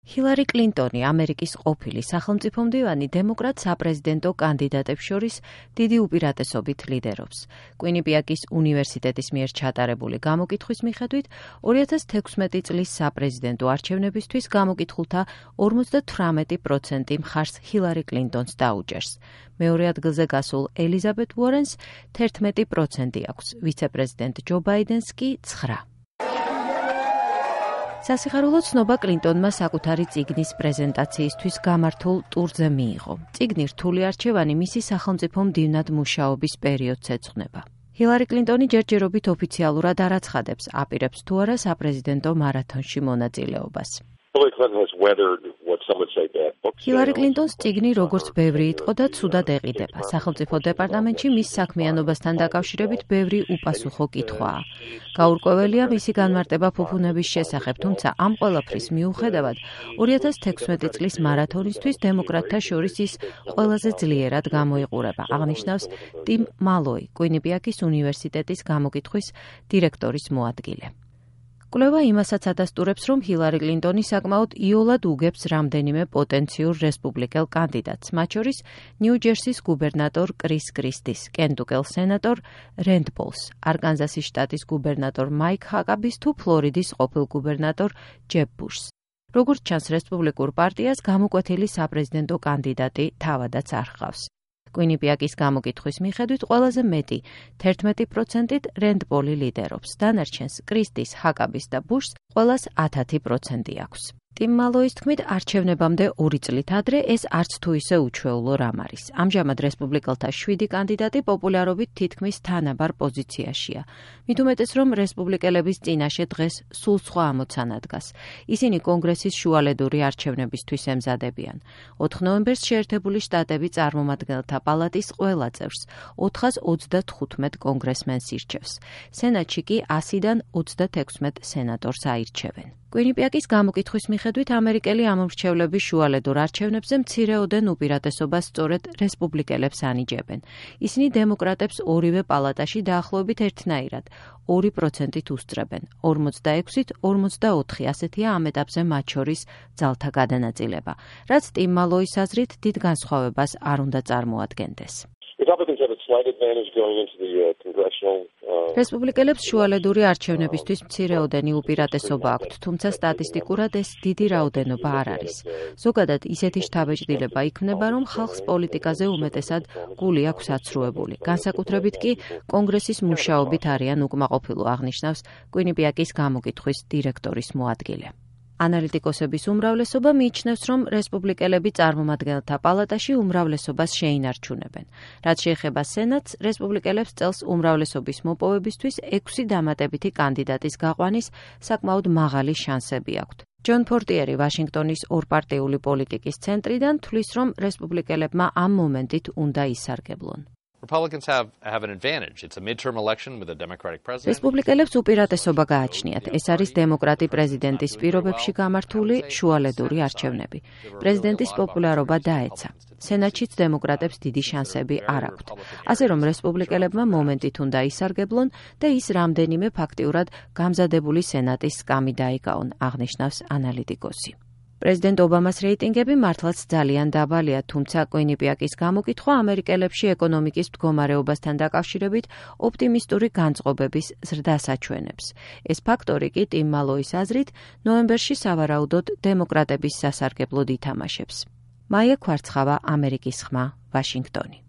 ჰილარი კლინტონი, ამერიკის ყოფილი სახელმწიფომდივანი დემოკრატ საპრეზიდენტო კანდიდატებს შორის დიდი უპირატესობით ლიდერობს. კვინიპიაკის უნივერსიტეტის მიერ ჩატარებული გამოკითხვის მიხედვით 2016 წლის საპრეზიდენტო არჩევნებისთვის გამოკითხულთა 58% მხარს ჰილარი კლინტონს დაუჭერს. მეორე ადგილზე გასულ ელიზაბეთ უორენს 11% აქვს, ვიცე-პრეზიდენტ ჯო ბაიდენს კი 9%. სასიხარულო ცნობა კლინტონმა საკუთარი წიგნის პრეზენტაციისთვის გამართულ ტურზე მიიღო. წიგნი რთული არჩევანი მისი სახელმწიფო მდივნად მუშაობის პერიოდს ეძღვნება. ჰილარი კლინტონი ჯერჯერობით ოფიციალურად არ აცხადებს, აპირებს თუ არა საპრეზიდენტო მარათონში მონაწილეობას. ჰილარი კლინტონს წიგნი როგორც ბევრი იტყო და ცუდად ეყიდება. სახელმწიფო დეპარტამენტში მის საქმიანობასთან დაკავშირებით ბევრი უპასუხო კითხვაა. გაურკვეველია მისი განმარტება ფუფუნების შესახებ, თუმცა ამ ყველაფრის მიუხედავად 2016 წლის მარათონისთვის დემოკრატთა შორის ის ყველაზე ძლიერად გამოიყურება, აღნიშნავს ტიმ მალოი, კვინიპიაკის უნივერსიტეტის გამოკითხვის დირექტორის მოადგილე. კვლევა იმასაც ადასტურებს, რომ ჰილარი კლინტონი საკმაოდ იოლად უგებს რამდენიმე პოტენციურ რესპუბლიკელ კანდიდატს, მათ შორის ნიუ-ჯერსის გუბერნატორ კრის კრისტის, კენტუკელ სენატორ რენდ პოლს, არკანზასის შტატის გუბერნატორ მაიკ ჰაკაბის თუ ფლორიდის ყოფილ გუბერნატორ ჯებ ბუშს. როგორც ჩანს, რესპუბლიკურ პარტიას გამოკვეთილი საპრეზიდენტო კანდიდატი თავადაც არ ჰყავს. კვინიპიაკის გამოკითხვის მიხედვით ყველაზე მეტი 11%-ით რენდ პოლი ლიდერობს, დანარჩენს კრისტის, ჰაკაბის და ბუშს ყველას 10% აქვს. ტიმ მალოის თქმით, არჩევნებამდე 2 წლით ადრე ეს არც თუ ისე უჩვეულო რამ არის. ამჟამად რესპუბლიკელთა 7 კანდიდატი პოპულარობით თითქმის თანაბარ პოზიციაშია. მით უმეტეს, რომ რესპუბლიკელების წინაშე დღეს სულ სხვა ამოცანა დგას. ისინი კონგრესის შუალედური არჩევნებისთვის ემზადებიან. 4 ნოემბერს შეერთებული შტატები წარმომადგენელთა პალატის ყველა წევრს 425 კონგრესმენს ირჩევს. სენატში კი 100-დან 36 სენატორს აირჩევენ. კვინიპიაკის გამოკითხვის მიხედვით ამერიკელი ამომრჩევლების შუალედურ არჩევნებზე მცირეოდენ უპირატესობას სწორედ რესპუბლიკელებს ანიჭებენ. ისინი დემოკრატებს ორივე პალატაში დაახლოებით ერთნაირად 2%-ით უსწრებენ, 46-ით 44, ასეთია ამ ეტაპზე მათ შორის ძალთა გადანაწილება, რაც ტიმ მალოის აზრით დიდ განსხვავებას არ უნდა წარმოადგენდეს. რესპუბლიკელებს შუალედური არჩევნებისთვის მცირეოდენი უპირატესობა აქვთ, თუმცა სტატისტიკურად ეს დიდი რაოდენობა არ არის. ზოგადად ისეთი შთაბეჭდილება იქმნება, რომ ხალხს პოლიტიკაზე უმეტესად გული აქვს აცრუებული. განსაკუთრებით კი კონგრესის მუშაობით არიან უკმაყოფილო, აღნიშნავს კვინიპიაკის გამოკითხვის დირექტორის მოადგილე. ანალიტიკოსების უმრავლესობა მიიჩნევს, რომ რესპუბლიკელები წარმომადგენელთა პალატაში უმრავლესობას შეინარჩუნებენ. რაც შეეხება სენატს, რესპუბლიკელებს წელს უმრავლესობის მოპოვებისთვის 6 დამატებითი კანდიდატის გაყვანის საკმაოდ მაღალი შანსები აქვთ. ჯონ ფორტიერი ვაშინგტონის ორპარტიული პოლიტიკის ცენტრიდან თვლის, რომ რესპუბლიკელებმა ამ მომენტით უნდა ისარგებლონ. რესპუბლიკელებს უპირატესობა გააჩნიათ. ეს არის დემოკრატი პრეზიდენტის პირობებში გამართული შუალედური არჩევნები. პრეზიდენტის პოპულარობა დაეცა. სენატშიც დემოკრატებს დიდი შანსები არ აქვთ. ასე რომ რესპუბლიკელებმა მომენტით უნდა ისარგებლონ და ის რამდენიმე ფაქტიურად გამზადებული სენატის სკამი დაიკავონ, აღნიშნავს ანალიტიკოსი. პრეზიდენტ ობამას რეიტინგები მართლაც ძალიან დაბალია, თუმცა კვინიპიაკის გამოკითხვა ამერიკელებში ეკონომიკის მდგომარეობასთან დაკავშირებით ოპტიმისტური განწყობების ზრდას აჩვენებს. ეს ფაქტორი კი ტიმ მალოის აზრით ნოემბერში სავარაუდოდ დემოკრატების სასარგებლოდ ითამაშებს. მაია ქვარცხავა, ამერიკის ხმა, ვაშინგტონი.